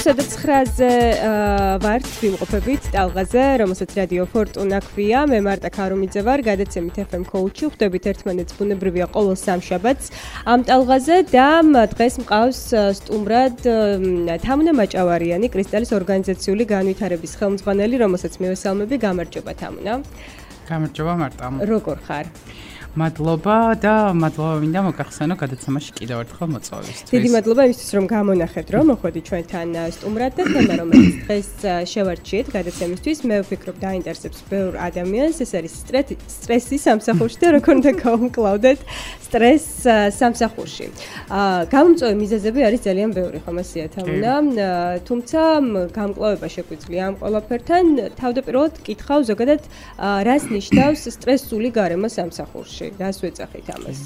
29-ზე ვართ ვიმყოფებით ტალღაზე, რომელსაც რადიო ფორტუნა ქვია. მე მარტა ქარუმიძე ვარ, გადაცემით FM Coach-ი, ხვდებით ერთმანეთს ბუნებრივია ყოველ სამშაბათს ამ ტალღაზე და დღეს მყავს სტუმრად თამუნა მაჭავარიანი, კრისტალის ორგანიზაციული განვითარების ხელმძღვანელი, რომელსაც მივესალმები. გამარჯობა თამუნა. გამარჯობა მარტა. როგორ ხარ? მადლობა და მადლობა მინდა მოგახსენო გადაცემაში კიდევ ერთხელ მოწვევისთვის. დიდი მადლობა იმისთვის, რომ გამონახეთ, რომ მოხვედი ჩვენთან სტუმრად და თემა, რომელიც დღეს შევარჩიეთ გადაცემისთვის, მე ვფიქრობ დაინტერესებს ბევრ ადამიანს, ეს არის სტრესი სამსახურში და როგორ უნდა გავუმკლავდეთ სტრესს სამსახურში. გამომწვევი მიზეზები არის ძალიან ბევრი, ხომ ასეა თამუნა, თუმცა გამკლავება შეგვიძლია ამ ყველაფერთან. თავდაპირველად კითხავ ზოგადად რას ნიშნავს სტრესული გარემო სამსახურში? რას ვეძახით ამას?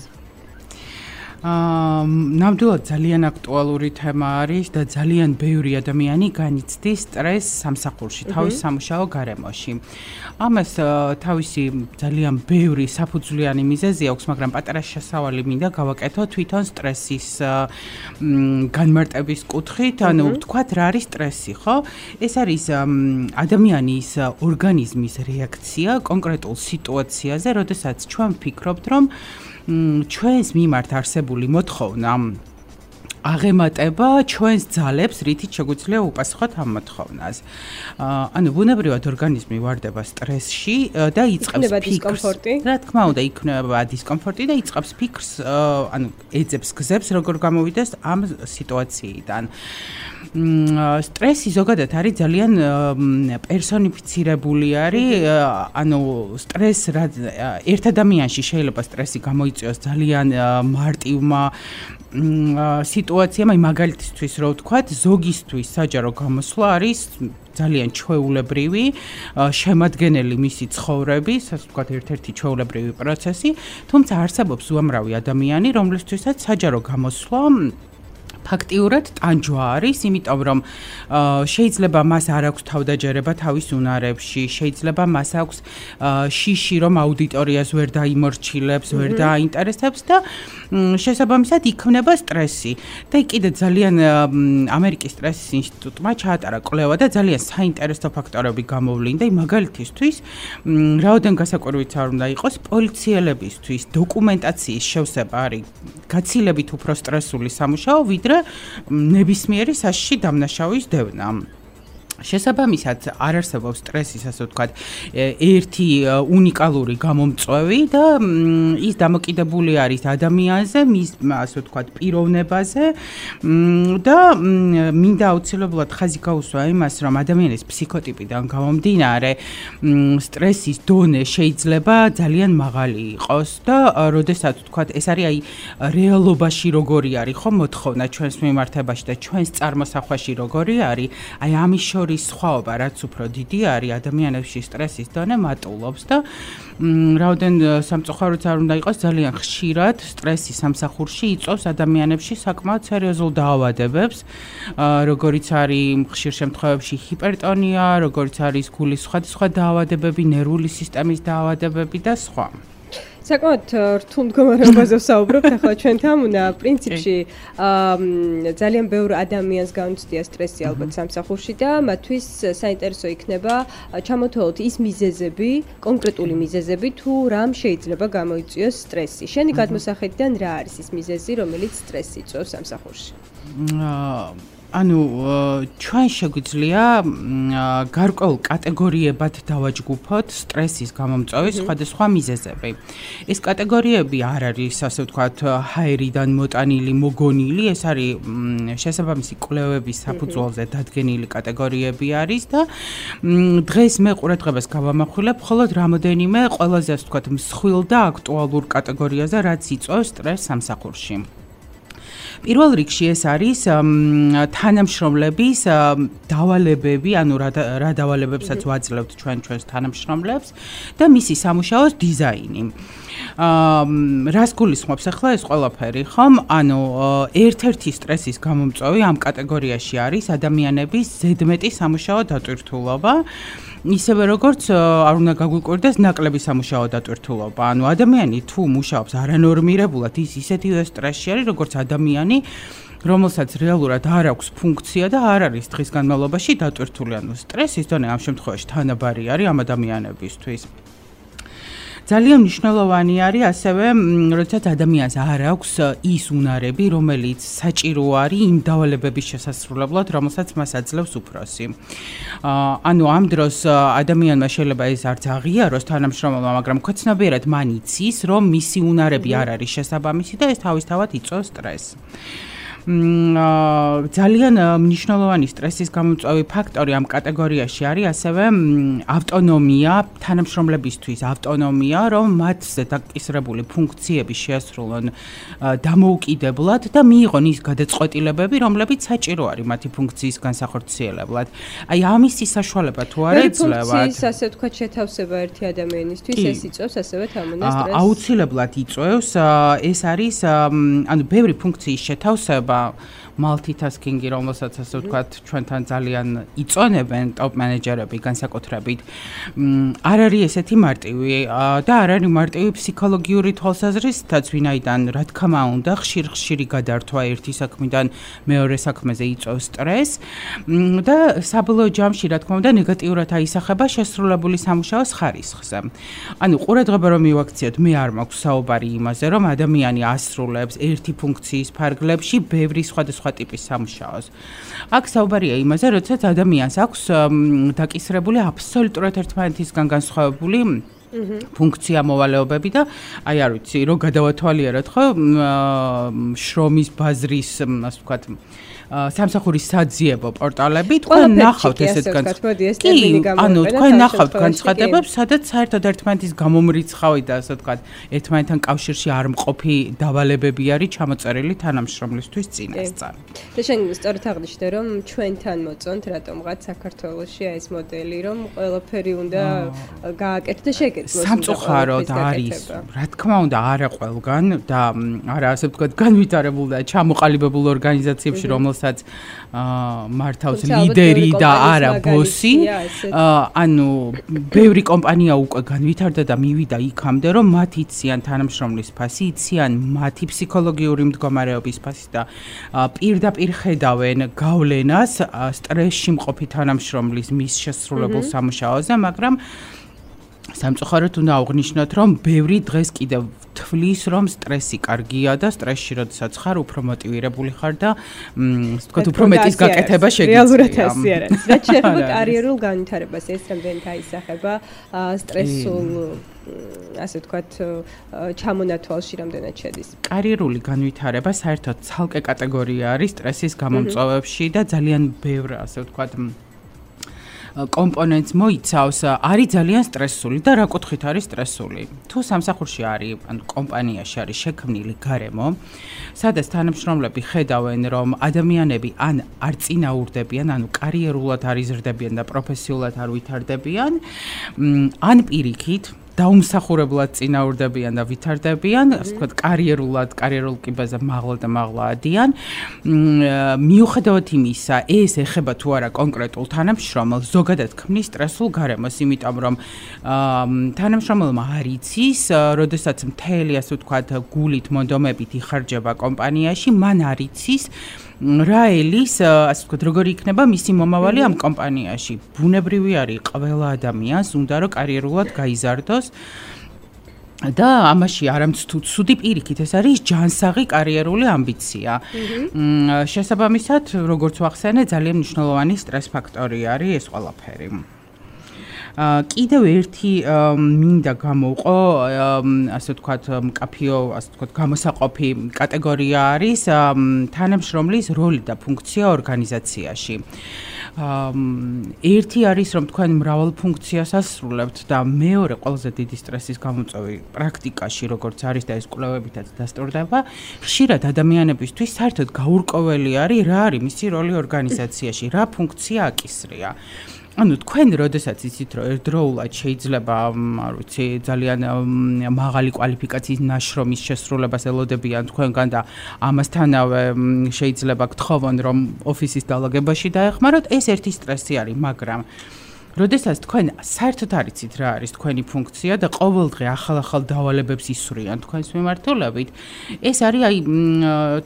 ნამდვილად ძალიან აქტუალური თემა არის და ძალიან ბევრი ადამიანი განიცდის სტრესს სამსახურში, თავის სამუშაო გარემოში. ამას თავისი ძალიან ბევრი საფუძვლიანი მიზეზი აქვს, მაგრამ პატარა შესავალი მინდა გავაკეთო თვითონ სტრესის განმარტების კუთხით, ანუ ვთქვათ რა არის სტრესი, ხო? ეს არის ადამიანის ორგანიზმის რეაქცია კონკრეტულ სიტუაციაზე, როდესაც ჩვენ ვფიქრობთ, რომ ჩვენს მიმართ არსებული მოთხოვნა აღემატება ჩვენს ძალებს, რითიც შეგვიძლია უპასუხოთ ამ მოთხოვნას. ანუ ბუნებრივად ორგანიზმი ვარდება სტრესში და იწყებს ფიქრს. რა თქმა უნდა, იქნება დისკომფორტი და იწყებს ფიქრს, ანუ ეძებს გზებს, როგორ გამოვიდეს ამ სიტუაციიდან. სტრესი ზოგადად არის ძალიან პერსონიფიცირებული არის, ანუ სტრეს ერთ ადამიანში შეიძლება სტრესი გამოიწვიოს ძალიან მარტივმა სიტუაციამ, მაგალითისთვის რო ვთქვათ, ზოგისთვის საჯარო გამოსვლა არის ძალიან ჩვეულებრივი, შემადგენელი მისი ცხოვრების, ასე ვთქვათ, ერთ-ერთი ჩვეულებრივი პროცესი, თუმცა არსებობს უამრავი ადამიანი, რომლისთვისაც საჯარო გამოსვლა ფაქტიურად ტანჯვა არის, იმიტომ რომ შეიძლება მას არ აქვს თავდაჯერება თავის უნარებში, შეიძლება მას აქვს შიში, რომ აუდიტორიას ვერ დაიმორჩილებს, ვერ დააინტერესებს და შესაბამისად იქმნება სტრესი. და კიდე ძალიან ამერიკის სტრესის ინსტიტუტმა ჩაატარა კვლევა და ძალიან საინტერესო ფაქტორები გამოვლინდა. მაგალითისთვის, რაოდენ გასაკვირვიც არ უნდა იყოს, პოლიციელებისთვის დოკუმენტაციის შევსება არის გაცილებით უფრო სტრესული სამუშაო, ვიდრე ნებისმიერი საშიში დამნაშავის დევნა. შესაბამისად არ არსებობს სტრესის, ასე ვთქვათ, ერთი უნიკალური გამომწვევი და ის დამოკიდებული არის ადამიანზე, მის, ასე ვთქვათ, პიროვნებაზე და მინდა აუცილებლად ხაზი გაუსვა იმას, რომ ადამიანის ფსიქოტიპიდან გამომდინარე სტრესის დონე შეიძლება ძალიან მაღალი იყოს და როდესაც ვთქვათ, ეს არის აი რეალობაში როგორი არის ხო მოთხოვნა ჩვენს მიმართებაში და ჩვენს წარმოსახვაში როგორი არის, აი ამის სხვაობა რაც უფრო დიდი არის ადამიანებში სტრესის დონე მატულობს და რაოდენ სამწუხაროც არ უნდა იყოს ძალიან ხშირად სტრესი სამსახურში იწვევს ადამიანებში საკმაოდ სერიოზულ დაავადებებს, როგორიც არის ხშირ შემთხვევებში ჰიპერტონია, როგორიც არის გულის სხვადასხვა დაავადებები, ნერვული სისტემის დაავადებები და სხვა. საკმაოდ რთულ მდგომარეობაზე ვსაუბრობთ ახლა ჩვენ თამუნა, პრინციპში ძალიან ბევრ ადამიანს განუცდია სტრესი ალბათ სამსახურში და მათთვის საინტერესო იქნება ჩამოთვალოთ ის მიზეზები, კონკრეტული მიზეზები, თუ რამ შეიძლება გამოიწვიოს სტრესი. შენი გადმოსახედიდან რა არის ის მიზეზი, რომელიც სტრესს იწვევს სამსახურში? ანუ ჩვენ შეგვიძლია გარკვეულ კატეგორიებად დავაჯგუფოთ სტრესის გამომწვევი სხვადასხვა მიზეზები. ეს კატეგორიები არ არის, ასე ვთქვათ, ჰაერიდან მოტანილი, მოგონილი, ეს არის შესაბამისი კვლევების საფუძველზე დადგენილი კატეგორიები არის და დღეს მე ყურადღებას გავამახვილებ მხოლოდ რამოდენიმე ყველაზე, ასე ვთქვათ, მსხვილ და აქტუალურ კატეგორიაზე, რაც იწვევს სტრესს სამსახურში. პირველ რიგში ეს არის თანამშრომლების დავალებები, ანუ რა დავალებებსაც ვაძლევთ ჩვენს თანამშრომლებს და მისი სამუშაოს დიზაინი. რას გულისხმობს ახლა ეს ყველაფერი, ხომ? ანუ ერთ-ერთი სტრესის გამომწვევი ამ კატეგორიაში არის ადამიანების ზედმეტი სამუშაო დატვირთულობა. ისევე როგორც არ უნდა გაგვიკვირდეს ნაკლები სამუშაო დატვირთულობა. ანუ ადამიანი თუ მუშაობს არანორმირებულად, ის ისეთივე სტრესში არის, როგორც ადამიანი რომელსაც რეალურად არ აქვს ფუნქცია და არ არის დღის განმავლობაში დატვირთული, ანუ სტრესის დონე ამ შემთხვევაში თანაბარი არის ამ ადამიანებისთვის. ძალიან მნიშვნელოვანი არის ასევე, როდესაც ადამიანს არ აქვს ის უნარები, რომელიც საჭირო არის იმ დავალებების შესასრულებლად, რომელსაც მას აძლევს უფროსი. ანუ ამ დროს ადამიანმა შეიძლება ეს არც აღიაროს თანამშრომელმა, მაგრამ ქვეცნობიერად მან იცის, რომ მისი უნარები არ არის შესაბამისი და ეს თავისთავად იწვევს სტრესს. ძალიან მნიშვნელოვანი სტრესის გამომწვევი ფაქტორი ამ კატეგორიაში არის ასევე ავტონომია, თანამშრომლებისთვის ავტონომია, რომ მათზე დაკისრებული ფუნქციები შეასრულონ დამოუკიდებლად და მიიღონ ის გადაწყვეტილებები, რომლებიც საჭირო არის მათი ფუნქციის განსახორციელებლად. აი ამისი საშუალება თუ არ ეძლევათ. ფუნქციის ასე ვთქვათ შეთავსება ერთი ადამიანისთვის ეს იწვევს ასევე თამონას სტრესს. აუცილებლად იწვევს, ეს არის ანუ ბევრი ფუნქციის შეთავსება multitasking-ი, რომელსაც ასე ვთქვათ, ჩვენთან ძალიან იწონებენ ტოპ მენეჯერები განსაკუთრებით. არ არის ესეთი მარტივი და არ არის მარტივი ფსიქოლოგიური თვალსაზრისითაც, ვინაიდან რა თქმა უნდა, ხშირ-ხშირი გადართვა ერთი საქმიდან მეორე საქმეზე იწვევს სტრესს და საბოლოო ჯამში, რა თქმა უნდა, ნეგატიურად აისახება შესრულებული სამუშაოს ხარისხზე. ანუ ყურადღება რომ მივაქციოთ, მე არ მაქვს საუბარი იმაზე, რომ ადამიანი ასრულებს ერთი ფუნქციის ფარგლებში ბევრი სხვადასხვა ტიპის სამუშაოს. აქ საუბარია იმაზე, როდესაც ადამიანს აქვს დაკისრებული აბსოლუტურად ერთმანეთისგან განსხვავებული ფუნქცია მოვალეობები და აი არ ვიცი, რო გადავათვალიეროთ ხო შრომის ბაზრის, ასე ვთქვათ, სამსახურის საძიებო პორტალები, თქვენ ნახავთ ესეთ ანუ თქვენ ნახავთ განცხადებებს, სადაც საერთოდ ერთმანეთის გამომრიცხავი და ასე ვთქვათ, ერთმანეთთან კავშირში არ მყოფი დავალებები არის ჩამოწერილი თანამშრომლისთვის წინასწარ. და შენ სწორედ აღნიშნე, რომ ჩვენთან მოწონთ რატომღაც საქართველოში ეს მოდელი, რომ ყველაფერი უნდა გააკეთო და შეკეთოს. სამწუხაროდ არის, რა თქმა უნდა, არა ყველგან და არა ასე ვთქვათ, განვითარებულ და ჩამოყალიბებულ ორგანიზაციებში, რომელსაც მართავს ლიდერი და არა ბოსი. ანუ ბევრი კომპანია უკვე განვითარდა და მივიდა იქამდე, რომ მათ იციან თანამშრომლის ფასი, იციან მათი ფსიქოლოგიური მდგომარეობის ფასი და პირდაპირ ხედავენ გავლენას სტრესში მყოფი თანამშრომლის მის შესრულებულ სამუშაოზე, მაგრამ სამწუხაროდ უნდა აღვნიშნოთ, რომ ბევრი დღეს კიდევ თვლის, რომ სტრესი კარგია და სტრესში როდესაც ხარ, უფრო მოტივირებული ხარ და ვთქვათ, უფრო მეტის გაკეთება შეგიძლია. რეალურად ასე არის. რაც შეეხება კარიერულ განვითარებას, ეს რამდენად აისახება სტრესულ ასე ვთქვათ, ჩამონათვალში რამდენად შედის. კარიერული განვითარება საერთოდ ცალკე კატეგორია არის სტრესის გამომწვევებში და ძალიან ბევრ ასე ვთქვათ კომპონენტს მოიცავს, არის ძალიან სტრესული და რა კუთხით არის სტრესული. თუ სამსახურში არის, ანუ კომპანიაში არის შექმნილი გარემო, სადაც თანამშრომლები ხედავენ, რომ ადამიანები ან არ წინაურდებიან, ანუ კარიერულად არ იზრდებიან და პროფესიულად არ ვითარდებიან, ან პირიქით დაუმსახურებლად წინაურდებიან და ვითარდებიან, ასე ვთქვათ, კარიერულ კიბეზე მაღლა და მაღლა ადიან. მიუხედავად იმისა, ეს ეხება თუ არა კონკრეტულ თანამშრომელს, ზოგადად ქმნის სტრესულ გარემოს, იმიტომ რომ თანამშრომელმა არ იცის, როდესაც მთელი, ასე ვთქვათ, გულით მონდომებით იხარჯება კომპანიაში, მან არ იცის რა ელის, ასე ვთქვათ, როგორი იქნება მისი მომავალი ამ კომპანიაში. ბუნებრივი არის ყველა ადამიანს უნდა რომ კარიერულად გაიზარდოს და ამაში არამც თუ ცუდი პირიქით, ეს არის ჯანსაღი კარიერული ამბიცია. შესაბამისად, როგორც ვახსენე, ძალიან მნიშვნელოვანი სტრეს ფაქტორი არის ეს ყველაფერი. კიდევ ერთი მინდა გამოვყო, ასე ვთქვათ, მკაფიო, ასე ვთქვათ, გამოსაყოფი კატეგორია არის თანამშრომლის როლი და ფუნქცია ორგანიზაციაში. ერთი არის, რომ თქვენ მრავალ ფუნქციას ასრულებთ და მეორე ყველაზე დიდი სტრესის გამომწვევი პრაქტიკაში, როგორც არის და ეს კვლევებითაც დასტურდება, ხშირად ადამიანებისთვის საერთოდ გაურკვეველი არის, რა არის მისი როლი ორგანიზაციაში, რა ფუნქცია აკისრია. ანუ თქვენ როდესაც იცით რომ ერთდროულად შეიძლება, არ ვიცი, ძალიან მაღალი კვალიფიკაციის ნაშრომის შესრულებას ელოდებიან თქვენგან და ამასთანავე შეიძლება გთხოვონ რომ ოფისის დაალაგებაში დაეხმაროთ, ეს ერთი სტრესი არის, მაგრამ როდესაც თქვენ საერთოდ არიცით რა არის თქვენი ფუნქცია და ყოველდღე ახალ დავალებებს ისვრიან თქვენს მიმართულებით, ეს არის აი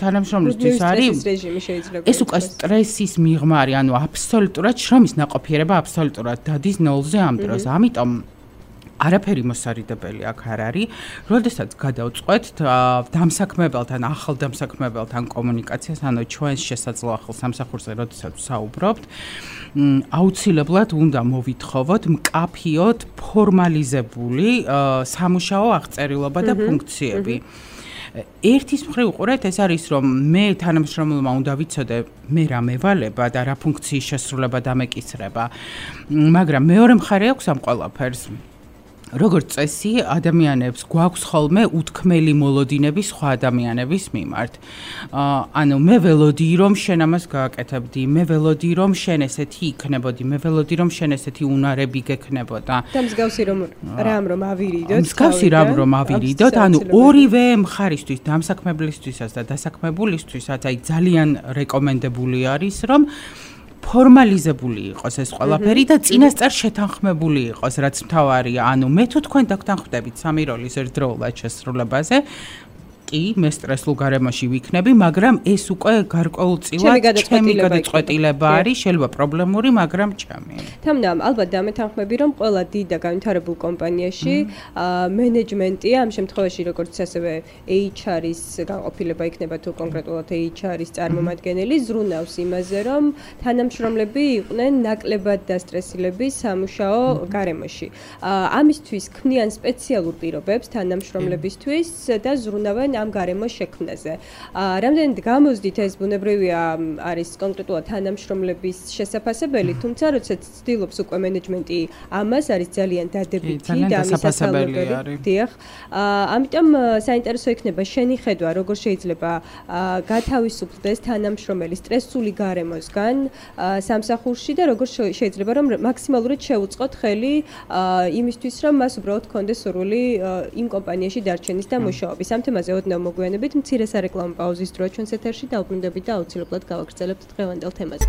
თანამშრომლისთვის არის ეს უკვე სტრესის მიღმა არის, ანუ აბსოლუტურად შრომის ნაყოფიერება აბსოლუტურად დადის ნოლზე ამ დროს. ამიტომ არაფერი მოსარიდებელი აქ არ არის, როდესაც გადავწყვეტთ დამსაქმებელთან, ახალ დამსაქმებელთან კომუნიკაციას, ანუ ჩვენს შესაძლო ახალ სამსახურზე, როდესაც ვსაუბრობთ, აუცილებლად უნდა მოვითხოვოთ მკაფიოდ ფორმალიზებული სამუშაო აღწერილობა და ფუნქციები. ერთის მხრივ უყურეთ, ეს არის რომ მე თანამშრომელმა უნდა ვიცოდე მე რა მევალება და რა ფუნქციის შესრულება დამეკისრება, მაგრამ მეორე მხარე აქვს ამ ყველაფერს. როგორც წესი, ადამიანებს გვაქვს ხოლმე უთქმელი მოლოდინები სხვა ადამიანების მიმართ. ანუ მე ველოდი რომ შენ ამას გააკეთებდი, მე ველოდი რომ შენ ესეთი იქნებოდი, მე ველოდი რომ შენ ესეთი უნარები გექნებოდა. და მსგავსი რომ ავირიდოთ. მსგავსი რომ ავირიდოთ, ანუ ორივე მხარისთვის, დამსაქმებლისთვისაც და დასაქმებულისთვისაც, აი ძალიან რეკომენდებული არის, რომ ფორმალიზებული იყოს ეს ყველაფერი და წინასწარ შეთანხმებული იყოს, რაც მთავარია. ანუ მე თუ თქვენ დაგთანხმდებით სამი როლის ერთდროულად შესრულებაზე, კი, მე სტრესულ გარემოში ვიქნები, მაგრამ ეს უკვე გარკვეულწილად ჩემი გადაწყვეტილება არის, შეიძლება პრობლემური, მაგრამ ჩემი. თამნა, ალბათ დამეთანხმები, რომ ყველა დიდ და განვითარებულ კომპანიაში მენეჯმენტი, ამ შემთხვევაში როგორც ასევე HR-ის განყოფილება იქნება თუ კონკრეტულად HR-ის წარმომადგენელი, ზრუნავს იმაზე, რომ თანამშრომლები იყვნენ ნაკლებად დასტრესილები სამუშაო გარემოში. ამისთვის ქმნიან სპეციალურ პირობებს თანამშრომლებისთვის და ზრუნავენ ამ გარემოს შექმნაზე. რამდენად გამოზდით ეს ბუნებრივია არის კონკრეტულად თანამშრომლების შესაძლებელი, თუმცა როცა ცდილობს უკვე მენეჯმენტი ამას არის ძალიან დადებითი და მისასალმებელი. დიახ. ამიტომ საინტერესო იქნება შენი ხედვა, როგორ შეიძლება გათავისუფლდეს თანამშრომელი სტრესული გარემოსგან სამსახურში და როგორ შეიძლება რომ მაქსიმალურად შეუწყოთ ხელი იმისთვის, რომ მას უბრალოდ ჰქონდეს სურვილი იმ კომპანიაში დარჩენის და მუშაობის. ამ თემაზე ოდნავ მოგვიანებით მცირე სარეკლამო პაუზის დროს ჩვენს ეთერში დავბრუნდებით და აუცილებლად გავაგრძელებთ დღევანდელ თემაზე.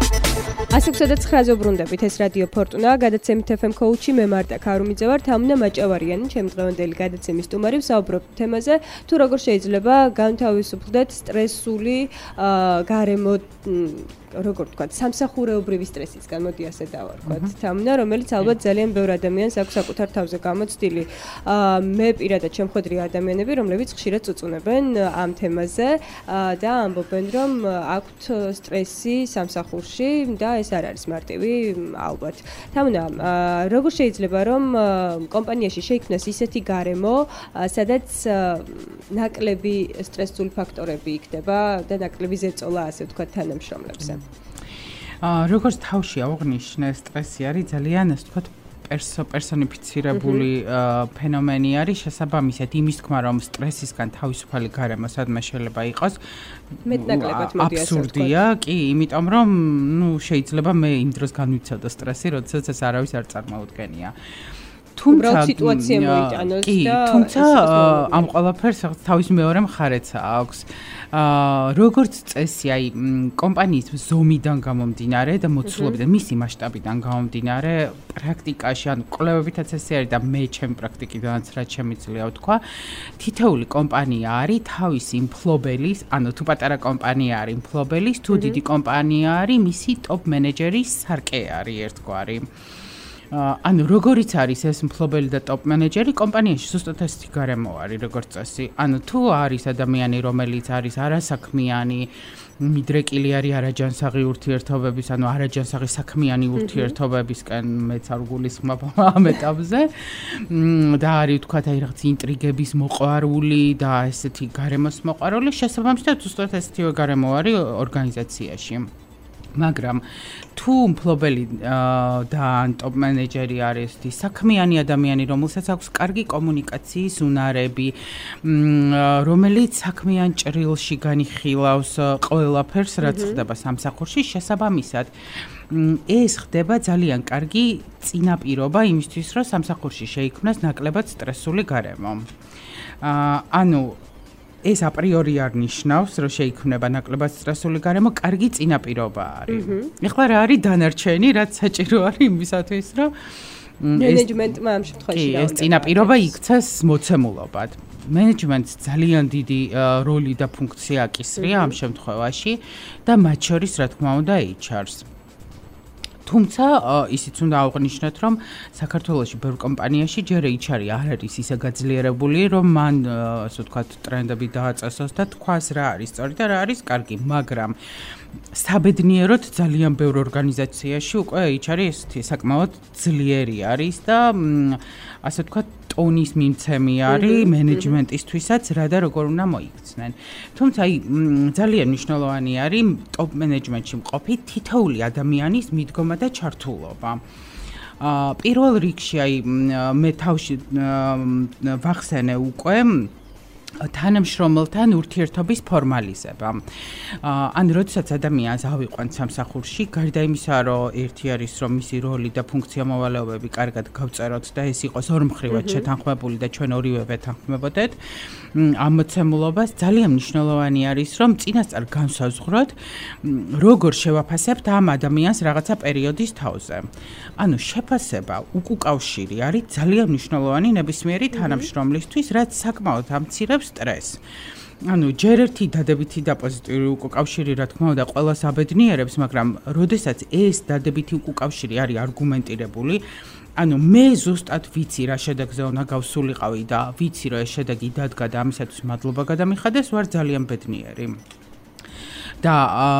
106.9-ზე ვბრუნდებით, ეს რადიო ფორტუნა, გადაცემით FM coach-ი, მე მარტა ქარუმიძე ვარ, თამუნა მაჭავარიანი, ჩემი დღევანდელი გადაცემის სტუმარი, ვსაუბრობთ თემაზე, თუ როგორ შეიძლება განთავისუფლდეთ სტრესული გარემო როგორ ვთქვათ, სამსახურეობრივი სტრესისგან, მოდი ასე დავარქვათ. თამუნა, რომელიც ალბათ ძალიან ბევრ ადამიანს აქვს საკუთარ თავზე გამოცდილი. მე პირადად შემხედრე ადამიანები, რომლებიც ხშირად წუწუნებენ ამ თემაზე და ამბობენ, რომ აქვთ სტრესი სამსახურში და ეს არ არის მარტივი, ალბათ. თამუნა, როგორ შეიძლება რომ კომპანიაში შეიქმნას ისეთი გარემო, სადაც ნაკლები სტრესული ფაქტორები იქნება და ნაკლები ზეწოლა, ასე ვთქვათ, თანამშრომლებზე. როგორც თავში აღნიშნე, სტრესი არის ძალიან, ასე ვთქვათ, პერსონიფიცირებული ფენომენი არის, შესაბამისად იმის თქმა, რომ სტრესისგან თავისუფალი გარემო სადმე შეიძლება იყოს, მეტნაკლებად მოდი ასე ვთქვათ. აბსურდია, კი, იმიტომ რომ, შეიძლება მე იმ დროს განვიცადო სტრესი, როდესაც ეს არავის არ წარმოუდგენია. თუმცა სიტუაცია მოიტანოს და თუმცა ამ ყველაფერს თავის მეორე მხარეც აქვს. როგორც წესი, აი კომპანიის ზომიდან გამომდინარე და მოცულობიდან, მისი მასშტაბიდან გამომდინარე, პრაქტიკაში, ანუ კვლევებითაც ესე არის და მე ჩემი პრაქტიკიდანაც რაც შემიძლია ვთქვა, თითოეული კომპანია არის თავისი მფლობელის, ანუ თუ პატარა კომპანია არის მფლობელის, თუ დიდი კომპანია არის, მისი ტოპ მენეჯერის სარკე არის ერთგვარი. ანუ როგორიც არის ეს მფლობელი და ტოპ მენეჯერი კომპანიაში ზუსტად ესეთი გარემო არის როგორც წესი. ანუ თუ არის ადამიანი, რომელიც არის არასაქმიანი, მიდრეკილი არის არაჯანსაღი ურთიერთობების, ანუ არაჯანსაღი საქმიანი ურთიერთობებისკენ მეც არ გულისხმობ ამ ეტაპზე და არის ვთქვათ აი რაღაც ინტრიგების მოყვარული და ესეთი გარემოს მოყვარული, შესაბამისად ზუსტად ესეთივე გარემო არის ორგანიზაციაში. მაგრამ თუ მფლობელი და ტოპ მენეჯერი არის საქმიანი ადამიანი, რომელსაც აქვს კარგი კომუნიკაციის უნარები, რომელიც საქმიან ჭრილში განიხილავს ყველაფერს, რაც ხდება სამსახურში, შესაბამისად ეს ხდება ძალიან კარგი წინაპირობა იმისთვის, რომ სამსახურში შეიქმნას ნაკლებად სტრესული გარემო. ანუ ეს აპრიორი არ ნიშნავს, რომ შეიქმნება ნაკლებად სტრესული გარემო, კარგი წინაპირობა არის. ეხლა რა არის დანარჩენი, რაც საჭირო არის იმისათვის, რომ მენეჯმენტმა ამ შემთხვევაში ეს წინაპირობა იქცეს მოცემულობად. მენეჯმენტს ძალიან დიდი როლი და ფუნქცია აკისრია ამ შემთხვევაში და მათ შორის რა თქმა უნდა HR-ს. თუმცა ისიც უნდა აღვნიშნოთ, რომ საქართველოში ბევრ კომპანიაში ჯერ HR-ი არ არის ისე გაძლიერებული, რომ მან ასე ვთქვათ ტრენდები დააწესოს და თქვას რა არის სწორი და რა არის კარგი, მაგრამ საბედნიეროდ ძალიან ბევრ ორგანიზაციაში უკვე HR-ი ესეთი საკმაოდ ძლიერი არის და ასე ვთქვათ ტონის მიმცემი არის მენეჯმენტისთვისაც რა და როგორ უნდა მოიქცნენ. თუმცა ძალიან მნიშვნელოვანი არის ტოპ მენეჯმენტში მყოფი თითოეული ადამიანის მიდგომა და ჩართულობა. პირველ რიგში მე თავში ვახსენე უკვე თანამშრომელთან ურთიერთობის ფორმალიზება. ან როდესაც ადამიანს ავიყვანთ სამსახურში, გარდა იმისა, რომ ერთი არის, რომ მისი როლი და ფუნქცია მოვალეობები კარგად გავწეროთ და ეს იყოს ორმხრივად შეთანხმებული და ჩვენ ორივე ვეთანხმებოდეთ, ამ მოცემულობას ძალიან მნიშვნელოვანი არის, რომ წინასწარ განსაზღვროთ, როგორ შევაფასებთ ამ ადამიანს რაღაცა პერიოდის თავზე. ანუ შეფასება უკუკავშირი არის ძალიან მნიშვნელოვანი ნებისმიერი თანამშრომლისთვის, რაც საკმაოდ ამცირებს სტრესს. ანუ ჯერ ერთი დადებითი და პოზიტიური უკუკავშირი რა თქმა უნდა ყველას აბედნიერებს, მაგრამ როდესაც ეს დადებითი უკუკავშირი არის არგუმენტირებული, ანუ მე ზუსტად ვიცი რა შედეგზე უნდა გავსულიყავი და ვიცი რომ ეს შედეგი დადგა და ამისათვის მადლობა გადამიხადეს, ვარ ძალიან ბედნიერი. და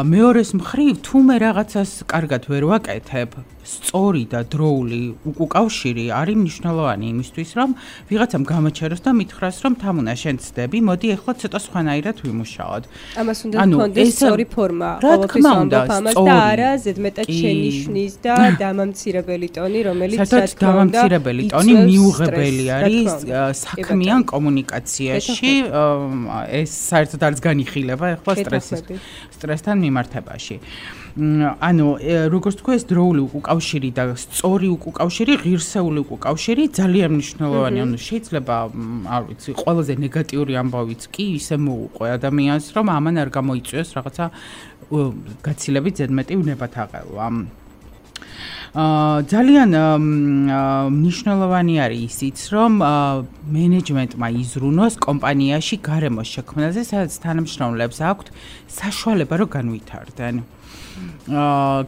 მეორეს მხრივ თუ მე რაღაცას კარგად ვერ ვაკეთებ, სწორი და დროული უკუკავშირი არის მნიშვნელოვანი იმისთვის, რომ ვიღაცამ გამოჩეროს და მითხრას, რომ თამუნა შენ ცდები, მოდი ახლა ცოტა სხვანაირად ვიმუშაოთ. ამას უნდა გქონდეს სწორი ფორმა, ყოველთვის ამბობ ამას და არა ზედმეტად შენიშვნის და დამამცირებელი ტონი, რომელიც საერთოდ დამამცირებელი ტონი მიუღებელი არის საქმიან კომუნიკაციაში, ეს საერთოდ არის განიხილება ახლა სტრესთან მიმართებაში. ანუ როგორც თქვა ეს დროული უკუკავშირი და სწორი უკუკავშირი, ღირსეული უკუკავშირი ძალიან მნიშვნელოვანია. ანუ შეიძლება, არ ვიცი, ყველაზე ნეგატიური ამბავიც კი ისე მოუყვე ადამიანს, რომ ამან არ გამოიწვიოს რაღაცა გაცილებით ზედმეტი ვნებათაღელვა. ძალიან მნიშვნელოვანი არის ისიც, რომ მენეჯმენტმა იზრუნოს კომპანიაში გარემოს შექმნაზე, სადაც თანამშრომლებს აქვთ საშუალება, რომ განვითარდნენ.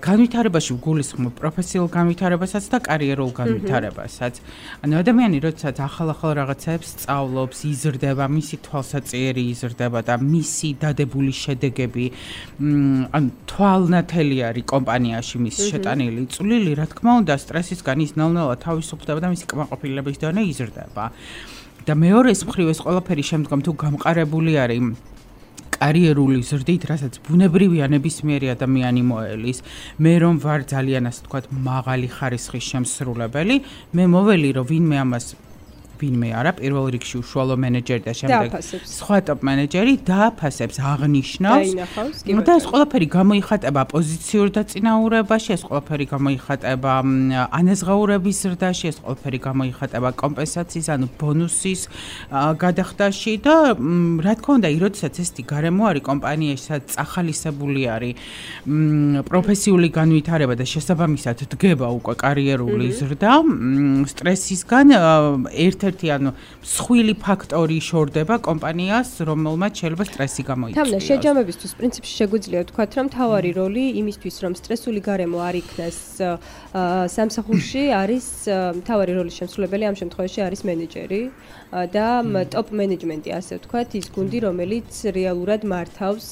განვითარებაში ვგულისხმობ პროფესიულ განვითარებასაც და კარიერულ განვითარებასაც. ანუ ადამიანი როდესაც ახალ რაღაცებს სწავლობს, იზრდება, მისი თვალსაჩინო იზრდება და მისი დადებული შედეგები, ანუ თვალნათელი არის კომპანიაში მის შეტანილი წვლილი, რა თქმა უნდა, სტრესისგან ის ნელ-ნელა თავისუფლდება და მისი კმაყოფილების დონე იზრდება. და მეორეს მხრივ ეს ყველაფერი შემდგომ თუ გამყარებული არის კარიერული ზრდით, რასაც ბუნებრივია ნებისმიერი ადამიანი მოელის, მე რომ ვარ ძალიან ასე ვთქვათ მაღალი ხარისხის შემსრულებელი, მე მოველი რომ ვინმე არა, პირველ რიგში უშუალო მენეჯერი და შემდეგ სხვა ტოპ მენეჯერი დააფასებს, აღნიშნავს და ეს ყველაფერი გამოიხატება პოზიციურ დაწინაურებაში, ეს ყველაფერი გამოიხატება ანაზღაურების ზრდაში, ეს ყველაფერი გამოიხატება კომპენსაციის, ანუ ბონუსის გადახდაში და რა თქმა უნდა, როდესაც ესეთი გარემო არის კომპანიაში, სადაც წახალისებული არის პროფესიული განვითარება და შესაბამისად დგება უკვე კარიერული ზრდა, სტრესისგან ერთ-ერთი ანუ მსხვილი ფაქტორი შორდება კომპანიას, რომელმაც შეიძლება სტრესი გამოიწვიოს. თამნა შეჯამებისთვის პრინციპში შეგვიძლია ვთქვათ, რომ მთავარი როლი იმისთვის, რომ სტრესული გარემო არ იქნას სამსახურში, არის მთავარი როლის შემსრულებელი ამ შემთხვევაში არის მენეჯერი და ტოპ მენეჯმენტი, ასე ვთქვათ, ის გუნდი, რომელიც რეალურად მართავს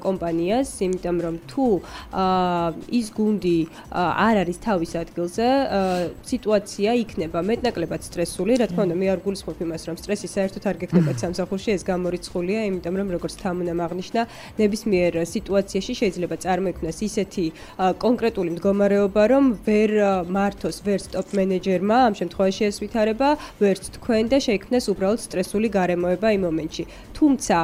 კომპანიას, იმიტომ რომ თუ ის გუნდი არ არის თავის ადგილზე, სიტუაცია იქნება მეტნაკლებად სტრესული, რა თქმა უნდა, მე არ გულისხმობ იმას, რომ სტრესი საერთოდ არ გექნებათ სამსახურში, ეს გამორიცხულია, იმიტომ რომ როგორც თამუნამ აღნიშნა, ნებისმიერ სიტუაციაში შეიძლება წარმოიქმნას ისეთი კონკრეტული მდგომარეობა, რომ ვერ მართოს ვერც ტოპ მენეჯერმა, ამ შემთხვევაში ეს ვითარება, ვერც თქვენ და შეიქმნას უბრალოდ სტრესული გარემოება იმ მომენტში. თუმცა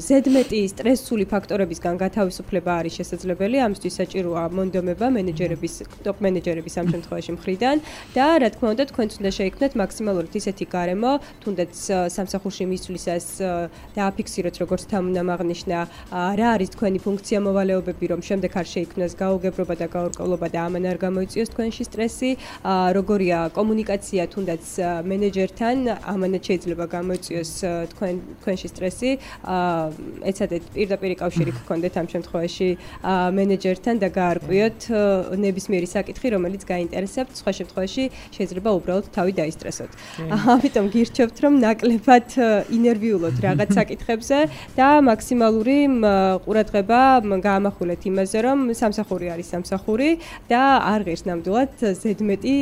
ზედმეტი სტრესული ფაქტორებისგან გათავისუფლება არის შესაძლებელი, ამისთვის საჭიროა მონდომება მენეჯერების, ტოპ მენეჯერების ამ შემთხვევაში მხრიდან და რა თქმა უნდა თქვენც უნდა შეიქმნათ მაქსიმალურად ისეთი გარემო, თუნდაც სამსახურში მისვლისას დააფიქსიროთ როგორც თამუნამ აღნიშნა, რა არის თქვენი ფუნქცია მოვალეობები, რომ შემდეგ არ შეიქმნას გაუგებრობა და გაურკვევლობა და ამან არ გამოიწვიოს თქვენში სტრესი, როგორია კომუნიკაცია თუნდაც მენეჯერთან, ამანაც შეიძლება გამოიწვიოს თქვენში სტრესი, ეცადეთ პირდაპირი კავშირი გქონდეთ ამ შემთხვევაში მენეჯერთან და გაარკვიოთ ნებისმიერი საკითხი, რომელიც გაინტერესებთ, სხვა შემთხვევაში შეიძლება უბრალოდ თავი დაისტრესოთ. ამიტომ გირჩევთ, რომ ნაკლებად ინერვიულოთ რაღაც საკითხებზე და მაქსიმალური ყურადღება გაამახვილეთ იმაზე, რომ სამსახური არის სამსახური და არ ღირს ნამდვილად ზედმეტი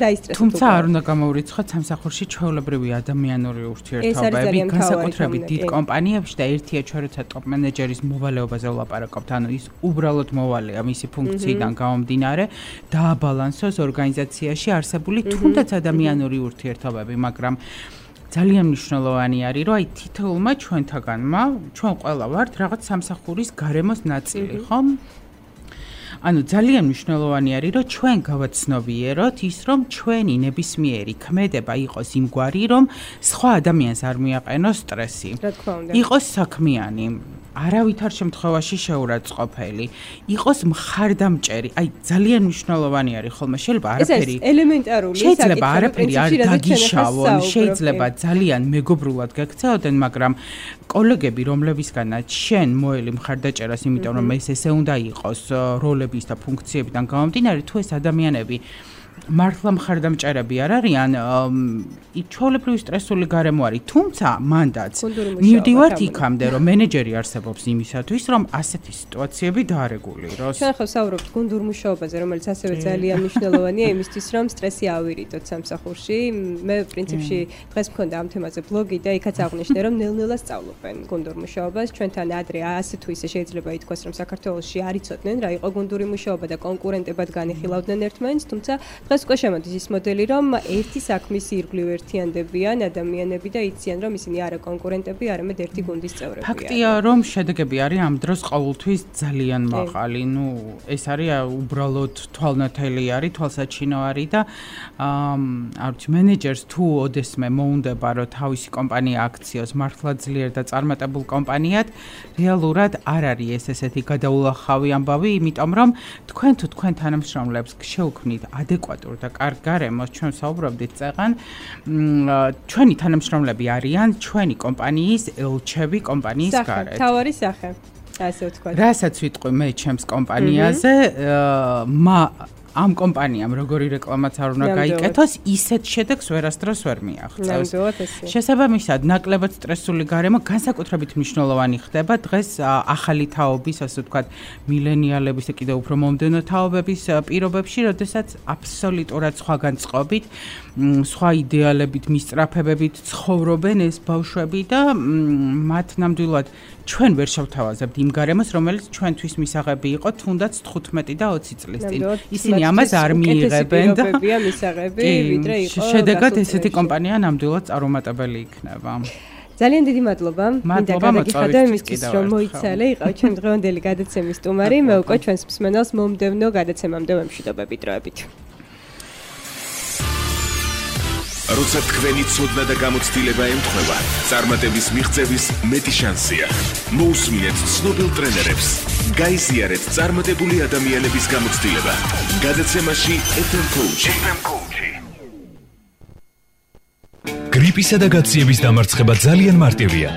დაისტრესოთ. თუმცა არ უნდა გამოურიცხოთ სამსახურში ჩვეულებრივი ადამიანური ურთიერთობები, განსაკუთრებით დიდ კომპანიებში და ერთია ჩვენ როცა ტოპ მენეჯერის მოვალეობაზე ვლაპარაკობთ, ანუ ის უბრალოდ მოვალეა მისი ფუნქციიდან გამომდინარე, დააბალანსოს ორგანიზაციაში არსებული თუნდაც ადამიანური ურთიერთობები, მაგრამ ძალიან მნიშვნელოვანი არის, რომ თითოეულმა ჩვენთაგანმა, ჩვენ ყველა ვართ რაღაც სამსახურის გარემოს ნაწილი, ხო? ანუ ძალიან მნიშვნელოვანი არის, რომ ჩვენ გავაცნობიეროთ ის, რომ ჩვენი ნებისმიერი ქმედება იყოს იმგვარი, რომ სხვა ადამიანს არ მიაყენოს სტრესი. რა თქმა უნდა. იყოს საქმიანი, არავითარ შემთხვევაში შეურაცხყოფელი, იყოს მხარდამჭერი. აი ძალიან მნიშვნელოვანი არის ხოლმე შეიძლება არაფერი. ეს ელემენტარული საკითხი. შეიძლება არაფერი არ დაგიშავონ, შეიძლება ძალიან მეგობრულად გაქცეოდენ, მაგრამ კოლეგები, რომლებისგანაც შენ მოელი მხარდაჭერას, იმიტომ რომ ესე უნდა იყოს როლების და ფუნქციებიდან გამომდინარე, თუ ეს ადამიანები მართლა მხარდამჭერები არ არიან, ჩვეულებრივი სტრესული გარემო არის, თუმცა მანდაც მივდივართ იქამდე, რომ მენეჯერი არსებობს იმისათვის, რომ ასეთი სიტუაციები დაარეგულიროს. ჩვენ ხო საუბრობთ გუნდურ მუშაობაზე, რომელიც ასევე ძალიან მნიშვნელოვანია იმისთვის, რომ სტრესი ავირიდოთ სამსახურში. მე პრინციპში დღეს მქონდა ამ თემაზე ბლოგი და იქაც აღნიშნე, რომ ნელ-ნელა სწავლობენ გუნდურ მუშაობას. ჩვენთან ადრე ასე თუ ისე შეიძლება ითქვას, რომ საქართველოში არ იცოდნენ რა იყო გუნდური მუშაობა და კონკურენტებად განიხილავდნენ ერთმანეთს, თუმცა დღეს უკვე შემოდის ის მოდელი, რომ ერთი საქმის ირგვლივ ერთიანდებიან ადამიანები და იციან, რომ ისინი არა კონკურენტები, არამედ ერთი გუნდის წევრებია. ფაქტია, რომ შედეგები არის ამ დროს ყოველთვის ძალიან მაღალი. ნუ ეს არის უბრალოდ თვალნათელი არის, თვალსაჩინო არის და არ ვიცი, მენეჯერს თუ ოდესმე მოუნდება, რომ თავისი კომპანია აქციოს მართლა ძლიერ და წარმატებულ კომპანიად, რეალურად არ არის ესეთი გადაულახავი ამბავი, იმიტომ რომ თქვენ თუ თქვენ თანამშრომლებს შეუქმნით ადეკვატურ და კარგ გარემოს, ჩვენ საუბრობდით წეღან, ჩვენი თანამშრომლები არიან ჩვენი კომპანიის ელჩები კომპანიის გარეთ. თავარი სახე, ასე ვთქვათ. რასაც ვიტყვი მე ჩემს კომპანიაზე, ამ კომპანიამ როგორი რეკლამაც არ უნდა გაიკეთოს, ისეთ შედეგს ვერასდროს ვერ მიაღწევს. შესაბამისად, ნაკლებად სტრესული გარემო განსაკუთრებით მნიშვნელოვანი ხდება დღეს ახალი თაობის, ასე ვთქვათ, მილენიალების და კიდევ უფრო მომდევნო თაობების პირობებში, როდესაც აბსოლუტურად სხვაგან წყობით, სხვა იდეალებით, მისწრაფებებით ცხოვრობენ ეს ბავშვები და მათ ნამდვილად ჩვენ ვერ შევთავაზებთ იმ გარემოს, რომელიც ჩვენთვის მისაღები იყო თუნდაც 15 და 20 წლის წინ. ისინი ამას არ მიიღებენ და შედეგად ესეთი კომპანია ნამდვილად წარუმატებელი იქნება. ძალიან დიდი მადლობა. მინდა გადაგიხადო იმისთვის, რომ მოიცალე, იყავ ჩემ დღევანდელი გადაცემის სტუმარი, მე უკვე ჩვენს მსმენელს მომდევნო გადაცემამდე ვემშვიდობები დროებით. როცა თქვენი ცოდნა და გამოცდილება ემთხვევა, წარმატების მიღწევის მეტი შანსია. მოусმინეთ ცნობილ ტრენერებს. გაიზიარეთ წარმატებული ადამიანების გამოცდილება. გადაცემაში FM Coach. გრიპისა და გაციების დამარცხება ძალიან მარტივია.